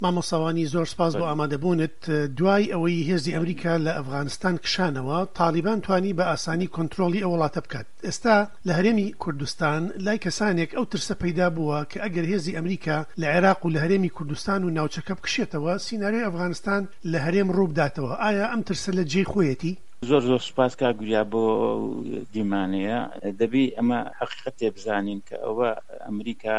مامۆستا وانی زۆر سپاس بۆ ئامادەبوونت. دوای ئەوەی هێزی ئەمریکا لە ئەفغانستان کشانەوە، تاڵیبان توانی بە ئاسانی کۆنترۆڵی ئەو وڵاتە بکات. ئێستا لە هەرێمی کوردستان لای کەسانێک ئەو ترسە پەیدا بووە کە ئەگەر هێزی ئەمریکا لە عێراق و لە هەرێمی کوردستان و ناوچەکە بکشێتەوە، سیناریۆی ئەفغانستان لە هەرێم ڕووبداتەوە. ئایا ئەم ترسە لە جێی خۆیەتی؟ زۆر زۆر سوپاس کاک وریا بۆ ئەو دیمانەیە. دەبی ئەمە حەقیقەتێ بزانین کە ئەوە ئەمریکا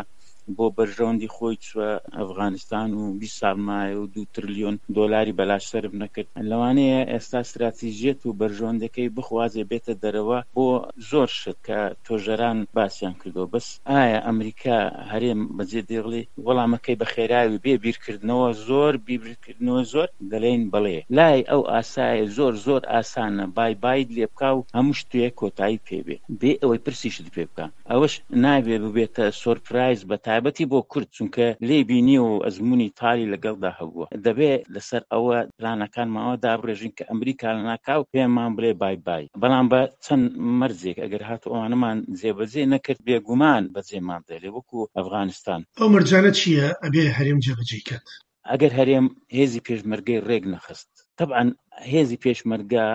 بۆ بەرژەوەندی خۆی چوە ئەفغانستان و 20 ساڵ مایە و دوو ترلیۆن دۆلاری بەلاش سەرف نەکرد. لەوانەیە ئێستا ستراتیژیەت و بەرژەوەندەکەی بخوازێ بێتە دەرەوە بۆ زۆر شت کە تۆژەران باسیان کردوە. بەس ئایا ئەمریکا هەرێم بەجێ دێڵێ؟ وەڵامەکەی بە خێراوی بێ بیرکردنەوە زۆر بیرکردنەوە زۆر دەلێین بەڵێ. لای ئەو ئاسایە زۆر زۆر ئاسانە بای بایت لێ بکا و هەموو شتێ کۆتایی پێ بێ بێ ئەوەی پرسیشت پێ بکا. ئەوەش نابێ ببێتە سۆرپرایز بە تایبەتی بۆ کورد چونکە لێی بینیوە و ئەزموونی تالی لەگەڵدا هەبووە. دەبێ لەسەر ئەوە پلانەکانمان دابڕێژین کە ئەمریکا لەناکاو پێمان بڵێ بای بای، بەڵام بە چەند مەرجێک، ئەگەر هاتوو ئەوانەمان جێبەجێ نەکرد بێگومان بەجێمان دێلێ وەکو ئەفغانستان. ئەو مەرجانە چییە ئەبێ هەرێم جێبەجێی کات؟ ئەگەر هەرێم هێزی پێشمەرگەی ڕێک نەخست، تەبعەن هێزی پێشمەرگە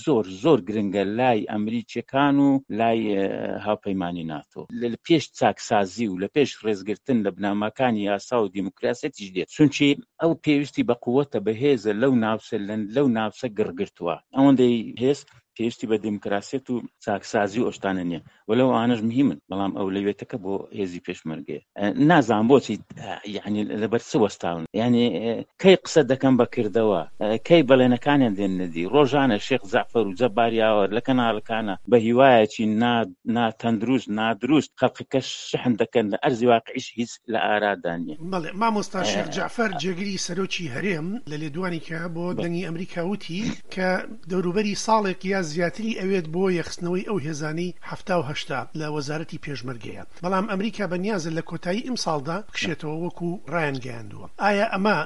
زۆر زۆر گرنگە لای ئەمریکیەکان و لای هاوپەیمانی ناتۆ لە پێش چاکسازی و لە پێش ڕێزگرتن لە بنەماکانی یاسا و دیموکراسیەتیش دێت، چونکی ئەو پێویستی بە قوەتە بەهێزە لەو ناوچە لەو ناوچە گڕگرتووە ئەوەندەی هێز پێویستی بە دیموکراسیەت و چاکسازی و ئەوشتانە نییە وەلەو ئەوانەش مهمن بەڵام ئەولەویەتەکە بۆ هێزی پێشمەرگەیە نازانم بۆچی یعنی لەبەر چ وەستاون یعنی کەی قسە دەکەم بە کردەوە کەی بەڵێنەکانیان دێننە دی ڕۆژانە شێخ جەعفەر و جەبار یاوەر لە کەناڵەکانە بە هیوایەکی نا ناتەندروست نادروست خەڵکەکە شحن دەکەن لە ئەرزی واقعیش هیچ لە ئارادا نییە. بەڵێ مامۆستا شێخ جەعفەر جێگری سەرۆکی هەرێم لە لێدوانێکا بۆ دەنگی ئەمریکا وتی کە دەوروبەری ساڵێک یا زیاتری ئەوێت بۆ یەکخستنەوەی ئەو هێزانەی 70 و 80 لە وەزارەتی پێشمەرگەیە، بەڵام ئەمریکا بەنیازە لە کۆتایی ئمساڵدا بکشێتەوە وەکو ڕایانگەیاندووە. ئایا ئەمە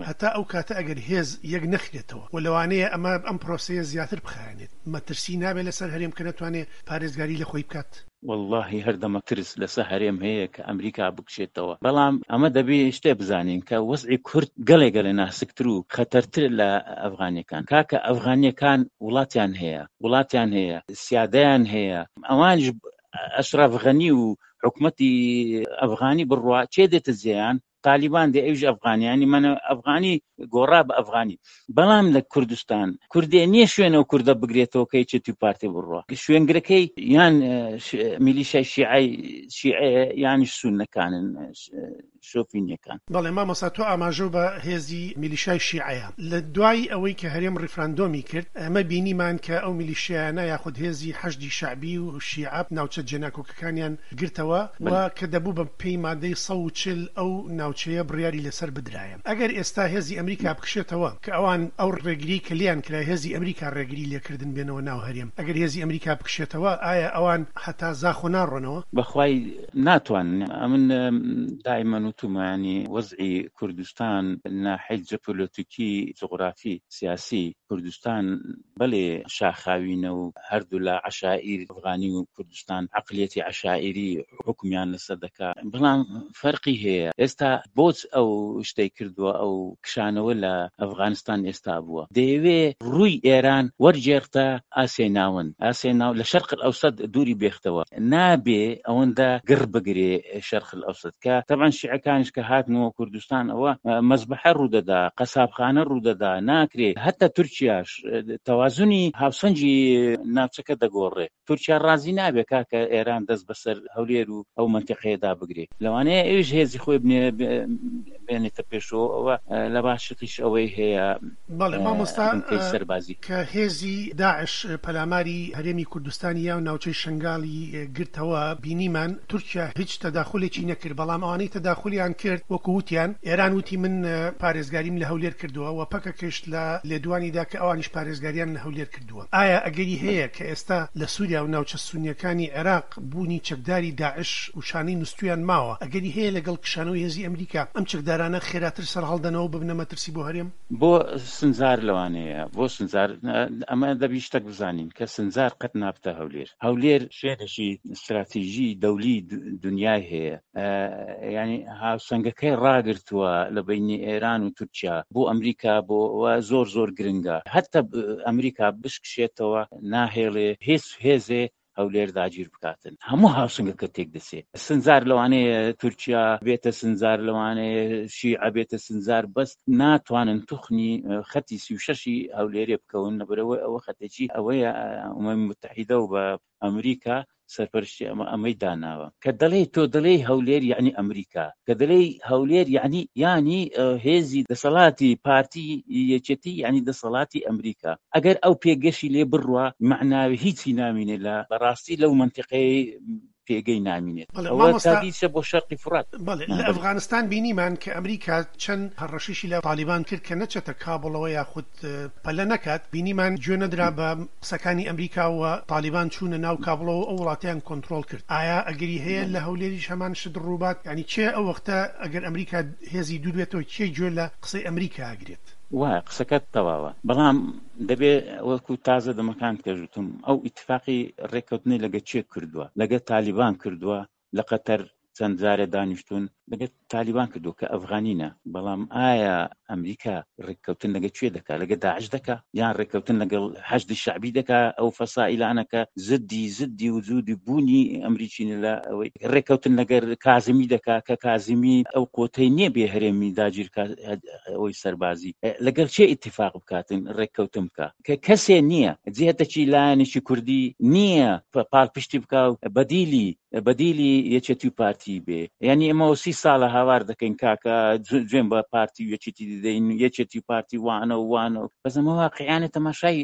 هەتا ئەو کاتە ئەگەر هێز یەک نەخرێتەوە و لەوانەیە ئەمە ئەم پرۆسەیە زیاتر بخایەنێت، مەترسی نابێت لەسەر هەرێم کە نەتوانێت پارێزگاری لە خۆی بکات؟ وەڵاهی هەردەمە ترس لەسە هەرێم هەیە کە ئەمریکا بکشێتەوە بەڵام ئەمە دەبێ شتێ بزانین کە وەزعی کورد گەلێ گەلێ ناسکتر و خەتەرترە لە ئەفغانیەکان کاکە ئەفغانیەکان وڵاتیان هەیە وڵاتیان هەیە سیادەیان هەیە ئەوانیش ئەشرەف غەنی و حکومەتی ئەفغانی بڕوا کێ دێتە جێیان تالیبان دێ ئەویش ئەفغانی ینی منە ئەفغانی گۆڕا بە ئەفغانی بەڵام لە کوردستان کوردێ نییە شوێنەوە کوردە بگرێتەوە کە یەکێتی و پارتی بڕوا شوێنگرەکەی یان میلیشای شیعەی شیعەیە یانیش سوننەکانن شۆفینیەکان. بەڵێ مامۆستا تۆ ئاماژەو بە هێزی میلیشای شیعەیە لە دوای ئەوەی کە هەرێم ڕیفراندۆمی کرد ئێمە بینیمان کە ئەو میلیشیایانە یاخود هێزی حەشدی شەعبی و شیعە ناوچە جێناکۆکەکانیان گرتەوە و کە دەبوو بە پێی مادەی 140 ئەو ناوچەیە بڕیاری لەسەر بدرایە. ئەگەر ئێستا هێزی ئەمریکا بکشێتەوە کە ئەوان ئەو ڕێگری کە لێیان کرا هێزی ئەمریکا ڕێگری لێکردن بێنەوە ناو هەرێم ئەگەر هێزی ئەمریکا بکشێتەوە ئایا ئەوان هەتا زاخۆ ناڕۆنەوە؟ بەخوای ناتوانن ئەمن دایمەن وتومە یانی وەزعی کوردستان ناحەی جەپۆلۆتیکی جوغرافی سیاسی کوردستان بەلێ شاخاوینە و هەردوولا عەشائیر ئەفغانی و کوردستان عەقلیەتی عەشائیری حوکمیان لەسەر دەکا بەڵام فەرقی هەیە ئێستا بۆچ ئەو شتەی کردووە ئەو کشانەوە لە ئەفغانستان ئێستا بووە دەیەوێ ڕووی ئێران وەرگێڕتە ئاسیای ناوەند ئاسیای ناو لە شەرق ئەوسەد دووری بێختەوە نابێ ئەوەندە گڕ بگرێ شەرق ئەوسەد کە تەبعەن شیعەکانیش کە هاتنەوە کوردستان ئەوە مەزبەحە ڕوودەدا قەسابخانە ڕوودەدا ناکرێ هەتا تورکیاش تەوازنی هاوسەنگی ناوچەکە دەگۆڕێ تورکیا ڕازی نابێ کاکە ئێران دەست بەسەر هەولێر و ئەو مەنتیقەیەدا بگرێ لەوانەیە ئەویش هێزی خۆی بنێ بێنێتە پێشەوە ئەوە لە باشتیش ئەوەی هەیە بەڵێ مامۆستا بنکەی سەربازی. کە هێزی داعش پەلاماری هەرێمی کوردستانی یا ناوچەی شنگالی گرتەوە بینیمان تورکیا هیچ تەداخولێکی نەکرد بەڵام ئەوانەی تەداخولیان کرد وەکو وتیان ئێران وتی من پارێزگاریم لە هەولێر کردووە و پەکەکەش لە لێدوانیدا کە ئەوانیش پارێزگاریان لە هەولێر کردووە ئایا ئەگەری هەیە کە ئێستا لە سوریا و ناوچە سونیەکانی عێراق بوونی چەکداری داعش و شانەی نوستویان ماوە ئەگەری هەیە لەگەڵ کشانەوەی هێزی ئەمریکا ئەم چەکدارانە خێراتر سەرهەڵدەنەوە و ببنە مەترسی بۆ هەرێم؟ بۆ سنجار لەوانەیە بۆ سنجار ئەمە دەبی شتەک بزانین کە سنجار قەت نابتە هەولێر هەولێر شوێنێکی ستراتیژی دەولی دنیای هەیە یعنی هاوسەنگەکەی ڕاگرتووە لە بینی ئێران و تورکیا بۆ ئەمریکا بۆ زۆر زۆر گرنگە هەتا ئەمریکا بشکشێتەوە ناهێڵێ هیچ هێزێ هەولێر داگیر بکاتن هەموو هاوسەنگەکە تێک دەچێت سنجار لەوانەیە تورکیا بێتە سنجار لەوانەیە شیعە بێتە سنجار بەس ناتوانن توخنی خەتی 36ی هەولێرێ بکەون لەبەرەوەی ئەوە خەتێکی ئەوەیە ئومەمی متحیدە و بە ئەمریکا سەرپەرشتی ئەمە ئەمەی داناوە کە دەڵێی تۆ دەڵێی هەولێر یعنی ئەمریکا کە دەلێی هەولێر یعنی یانی هێزی دەسەڵاتی پارتی یەکێتی یعنی دەسەڵاتی ئەمریکا ئەگەر ئەو پێگەشی لێ بڕوا مەعناوی هیچی نامینێ لە بەڕاستی لەو مەنتیقەیەی پێگەی نامینێت بەڵێ ئەوە مامۆستا تادیچە بۆ شەرقی فوڕات. بەڵێ لە ئەفغانستان بینیمان کە ئەمریکا چەند هەڕەشەیشی لە تالیبان کرد کە نەچێتە کابوڵەوە یاخود پەلە نەکات، بینیمان گوێ نەدرا بە قسەکانی ئەمریکا و تالیبان چوونە ناو کابوڵەوە و ئەو وڵاتەیان کۆنترۆڵ کرد. ئایا ئەگەری هەیە لە هەولێریش هەمان شت ڕووبات؟ یانی کێ ئەو وەختە ئەگەر ئەمریکا هێزی دوور بێتەوە کێ گوێ لە قسەی ئەمریکا ئەگرێت؟ وایە قسەکەت تەواوە بەڵام دەبێ وەکو تازە دەمەکان کەش وتم ئەو ئیتفاقی ڕێککەوتنەی لەگە چێ کردووە لەگە تالیبان کردووە لە قەتەر چەند جارێ دانیشتون لەگە تالیبان کردووە کە ئەفغانینە بەڵام ئایا ئەمریکا ڕێککەوتن لەگە کوێ دەکا لەگە داعش دەکا یان ڕێککەوتن لەگەڵ حەشدی شەعبی دەکا ئەو فەسائیلانە کە زدی زدی وجودی بوونی ئەمریکینە لە ئەوەی ڕێککەوتن لەگەر کازمی دەکا کە کازمی ئەو قوتەی نییە بێ هەرێمی داگیرکا ئەوەی سەربازی لەگەڵ چێ ئیتفاق بکاتن ڕێککەوتن بکە کە کەسێ نییە جهتەکی لایەنێکی کوردی نییە پاڵپشتی بکا و بەدیلی بەدیلی یەکێتی و پارتی بێ یعنی ئێمە سی ساڵە هاوار دەکەین کاکە جوێن بە پارتی و یەکێتی دەدەین یەکێتی و پارتی وانە و وانە و بەس ئەمە واقعیانە تەماشای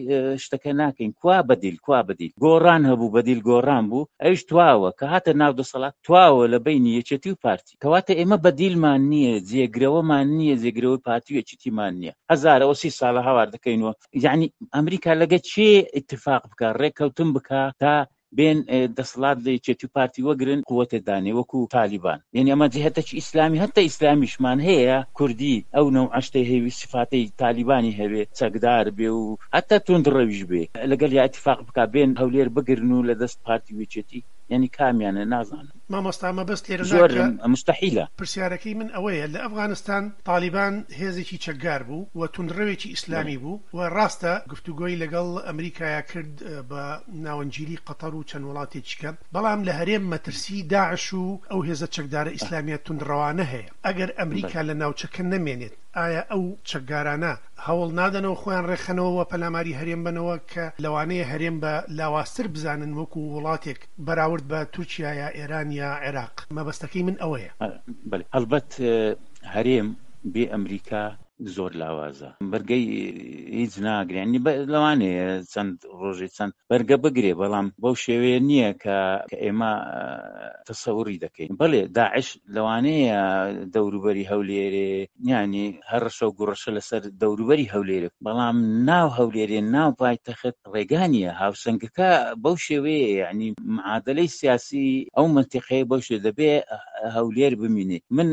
شتەکە ناکەین کوا بەدیل کوا بەدیل گۆڕان هەبوو بەدیل گۆڕان بوو ئەویش تواوە کە هاتە ناو دەسەڵات تواوە لە بینی یەکێتی و پارتی کەواتە ئێمە بەدیلمان نییە جێگرەوەمان نییە جێگرەوەی پارتی و یەکێتیمان نییە هەزارەوە سی ساڵە هاوار دەکەینەوە یعنی ئەمریکا لەگە چێ اتفاق بکە ڕێککەوتن بکە تا بێن دەسەڵات لە یەکێتی و پارتی وەگرن قوتێ دانێ وەکو تالیبان یعنی ئەمە جهتەکی ئیسلامی هەتا ئیسلامیشمان هەیە کوردی ئەو نەوعەشتەی هەیە سفاتەی تالیبانی هەبێ چەکدار بێ و هەتا توندڕەویش بێ لەگەڵ یا اتفاق بکا بێن هەولێر بگرن و لە دەست پارتی و یەکێتی یعنی کامیانە نازانم. مامۆستا مەبەست لێرەدا زۆر کە مستحیلە. پرسیارەکەی من ئەوەیە لە ئەفغانستان تالیبان هێزێکی چەکگار بوو و توندڕەوێکی ئیسلامی بوو و ڕاستە گفتوگۆی لەگەڵ ئەمریکایا کرد بە ناوەندگیری قەتەر و چەند وڵاتێکی کە بەڵام لە هەرێم مەترسی داعش و ئەو هێزە چەکدارە ئیسلامیە توندڕەوانە هەیە ئەگەر ئەمریکا لە ناوچەکە نەمێنێت ئایا ئەو چەکگارانە هەوڵ نادەنەوە خۆیان ڕێکخەنەوە و پەلاماری هەرێم بەنەوە کە لەوانەیە هەرێم بە لاوازتر بزانن وەکو وڵاتێک بەراورد بە تورکیا یا ئێران یا عێراق مەبەستەکەی من ئەوەیە. بەلێ هەڵبەت هەرێم بێ ئەمریکا زۆر لاوازە بەرگەی هیچ ناگرێ یعنی لەوانەیە چەند ڕۆژێ چەند بەرگە بگرێ بەڵام بەو شێوەیە نییە کە ئێمە تەسەوری دەکەین بەڵێ داعش لەوانەیە دەوروبەری هەولێرێ یانی هەڕەشە و گوڕەشە لەسەر دەوروبەری هەولێرێ بەڵام ناو هەولێرێ ناو پایتەخت ڕێگا نییە هاوسەنگەکە بەو شێوەیە یعنی معادلەی سیاسی ئەو منتیقەیە بەو شێ دەبێ هەولێر بمینێ من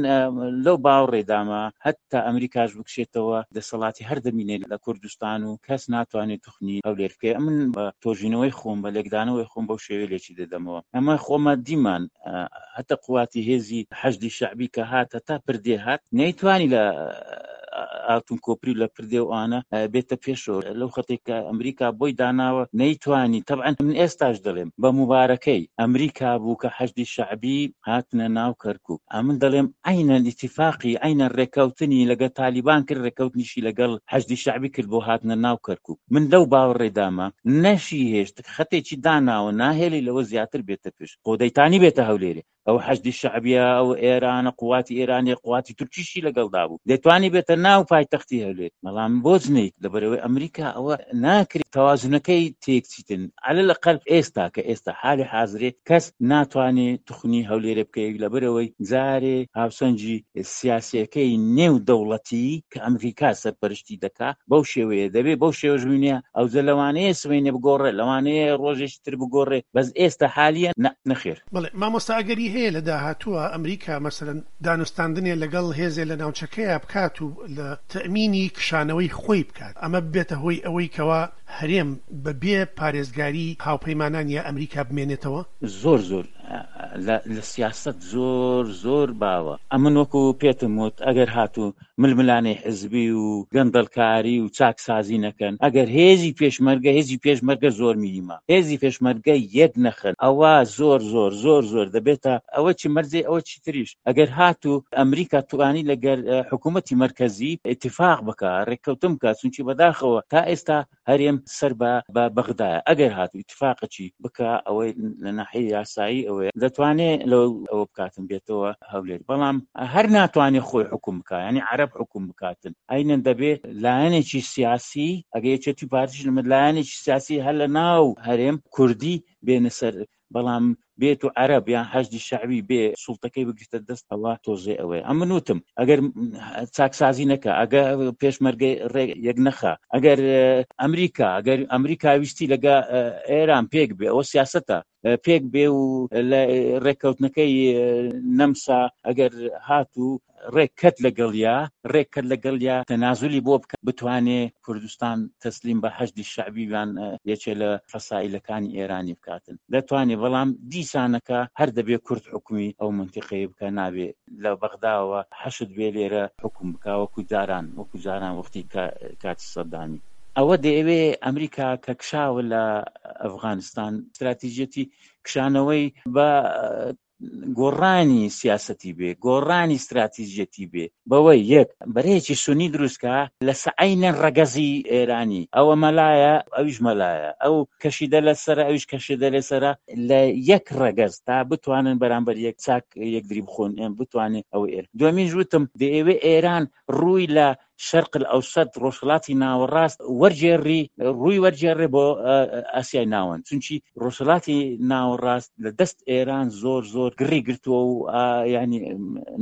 لەو باوەڕێدامە هەتا ئەمریکاش بکشێتەوە دەسەڵاتی هەر دەمینێ لە کوردستان و کەس ناتوانێت توخنی هەولێر بکەێ من بە تۆژینەوەی خۆم بە لێکدانەوەی خۆم بەو شێوەیە لێکی دەدەمەوە ئەمە خۆمە دیمان هەتا قواتی هێزی حەشدی شەعبی کە هات هەتا پردێ هات نەیتوانی لە ئاڵتون کۆپری لە پردێ و ئانە بێتە پێشەوە لەو خەتێک کە ئەمریکا بۆی داناوە نەیتوانی تەبعەن من ئێستاش دەڵێم بە موبارەکەی ئەمریکا بوو کە حەشدی شەعبی هاتنە ناو کەرکوک ئەمن دەڵێم عەینەن ئیتیفاقی عەینەن ڕێککەوتنی لەگەڵ تالیبان کرد ڕێککەوتنیشی لەگەڵ حەشدی شەعبی کرد بۆ هاتنە ناو کەرکوک من لەو باوەڕێدامە نەشی هێشت خەتێکی داناوە ناهێڵی لەوە زیاتر بێتە پێش خۆ دەیتانی بێتە هەولێرێ ئەو حەشدی شەعبیە ئەو ئێرانە قواتی ئێرانی قواتی تورکیشی لەگەڵدا بوو دەتوانی بێتە ناو پایتەختی هەولێر بەڵام بۆچ نیت لەبەرەوەی ئەمریکا ئەوە ناکرێت تەوازنەکەی تێکچیتن عەلە لەقەل ئێستا کە ئێستا حالی حازرێ کەس ناتوانێ توخنی هەولێرێ بکەی لەبەرەوەی جارێ هاوسەنگی سیاسیەکەی نێو دەوڵەتی کە ئەمریکا سەرپەرشتی دەکا بەو شێوەیە دەبێ بەو شێوەش بمینێ ئەوجە لەوانەیە سبەینێ بگۆڕێ لەوانەیە ڕۆژێکی تر بگۆڕێ بەس ئێستا حالیە نا نەخێر. بەڵێ مامۆستا ئەگەری هەیە لە داهاتووە ئەمریکا مەسەلەن دانوستاندنێ لەگەڵ هێزێ لە ناوچەکەیا بکات و لە تەئمینی کشانەوەی خۆی بکات ئەمە ببێتە هۆی ئەوەی کەوا هەرێم بە بێ پارێزگاری هاوپەیمانان یا ئەمریکا بمێنێتەوە؟ زۆر زۆر. لە سیاسەت زۆر زۆر باوە. ئەمن وەکو پێتم وت ئەگەر هاتوو ململانێی حزبی و گەندەڵکاری و چاکسازی نەکەن، ئەگەر هێزی پێشمەرگە، هێزی پێشمەرگە زۆر میهیمە، هێزی پێشمەرگە یەک نەخەن، ئەوە زۆر زۆر زۆر زۆر دەبێتە ئەوە چی مەرجێ ئەوە چی تریش ئەگەر هاتوو ئەمریکا توانی لەگەر حکوومەتی مەرکەزی ئیتفاق بکا، ڕێککەوتن بکا، چونکی بەداخەوە تا ئێستا هەرێم سەر بە بە بەغدایە ئەگەر هاتوو ئیتفاقەکی بکا ئەوەی لە ناحیەی یاسایی ئەوەیە دەتوانێ لەو ئەوە بکاتن بێتەوە هەولێر بەڵام هەر ناتوانێ خۆی حکوم بکا یعنی عەرەب حکوم بکاتن ئەینەن دەبێ لایەنێکی سیاسی ئەگە یەکێتی پارتیش لەمە لایەنێکی سیاسی هەر لە ناو هەرێم کوردی بێنە سەر بەڵام بێت و عەرەب یان حەشدی شەعبی بێ سوڵتەکەی بگرتە دەست ئەوە تۆزێ ئەوەیە ئەمن وتم ئەگەر چاکسازی نەکە ئەگە پێشمەرگەی ڕێ یەک نەخا ئەگەر ئەمریکا ئەگەر ئەمریکا ویستی لەگە ئێران پێک بێ ئەوە سیاستە پێک بێ و لە ڕێککەوتنەکەی نەمسا ئەگەر هاتوو ڕێک کەت لەگەڵیا ڕێک کەت لەگەڵیا تەنازولی بۆ بکا بتوانێ کوردستان تەسلیم بە حەشدی شەعبی یان یەکێ لە فەسائیلەکانی ئێرانی بکاتن دەتوانێ بەڵام دیسانەکە هەر دەبێ کورد حوکمی ئەو مەنتیقەیە بکا نابێ لە بەغداوە حەشد بێ لێرە حوکم بکا وەکو جاران وەکو جاران وەختی کاتی سەدامی. ئەوە دەیەوێ ئەمریکا کە کشاوە لە ئەفغانستان ستراتیژیەتی کشانەوەی بە گۆڕانی سیاسەتی بێ، گۆڕانی ستراتیژیەتی بێ، بەوەی یەک بەرەیەکی سونی دروست کا لە سەعینەن ڕەگەزی ئێرانی، ئەوە مەلایە ئەویش مەلایە، ئەو کەشیدە لە سەرە ئەویش کەشیدە لە سەرە، لە یەک ڕەگەز تا بتوانن بەرامبەر یەک چاک یەکدری بخۆن، بتوانێ ئەوەی ئێران. دووەمینش وتم دەیەوێ ئێران ڕووی لە شەرق الاوسط، ڕۆژهەڵاتی ناوەڕاست، وەرگێڕی، ڕووی وەرگێڕێ بۆ ئاسیای ناوەند، چونکی ڕۆژهەڵاتی ناوەڕاست لە دەست ئێران زۆر زۆر گڕی گرتووە و یانی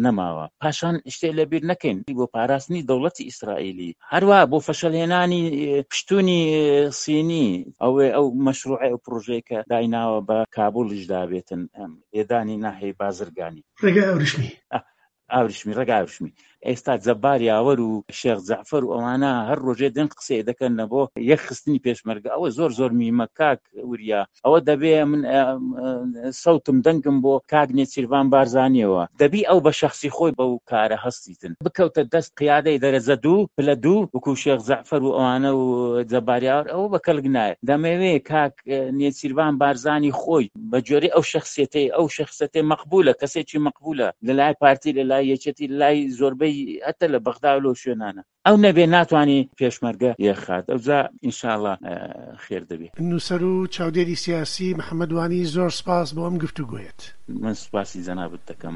نەماوە. پاشان شتێ لەبیر نەکەین بۆ پاراستنی دەوڵەتی ئیسرائیلی، هەروا بۆ فەشەلهێنانی پشتونی سینی، ئەوێ ئەو مەشروعەی ئەو پڕۆژەیە کە دایناوە بە کابوڵیش دابێتن لێدانی ناحیەی بازرگانی. ڕێگای ئاوریشمی. ئاوریشمی ڕێک ئاوریشمی ئێستا جەبار یاوەر و شێخ جەعفەر و ئەوانە هەر ڕۆژێ دێن قسەیە دەکەن لە بۆ یەک خستنی پێشمەرگە ئەوە زۆر زۆر میمە کاک وریا ئەوە دەبێ من سەوتم دەنگم بۆ کاک نێچیرڤان بارزانیەوە دەبی ئەو بە شەخسی خۆی بەو کارە هەستیتن بکەوتە دەست قیادەی دەرەجە دوو پلە دوو وەکو شێخ جەعفەر و ئەوانە و جەبار یاوەر ئەوە بە کەلک نایە دەمەوێ کاک نێچیرڤان بارزانی خۆی بە گوێرەی ئەو شەخسیەتەی ئەو شەخسەتەی مەقبولە کەسێکی مەقبولە لە لای پارتی لە لای یەکێتی لە لای زۆربەی هەتە لە بەغدا و لەو شوێنانە ئەو نەبێ ناتوانانی پێشمەرگە یەخات ئەوجا ئینشاڵا خێر دەبێ. نووسەر و چاودێری سیاسی محەمەد وانی زۆر سپاس بۆ ئەم گفتوگۆیەت. من سوپاسی جەنابت دەکەم.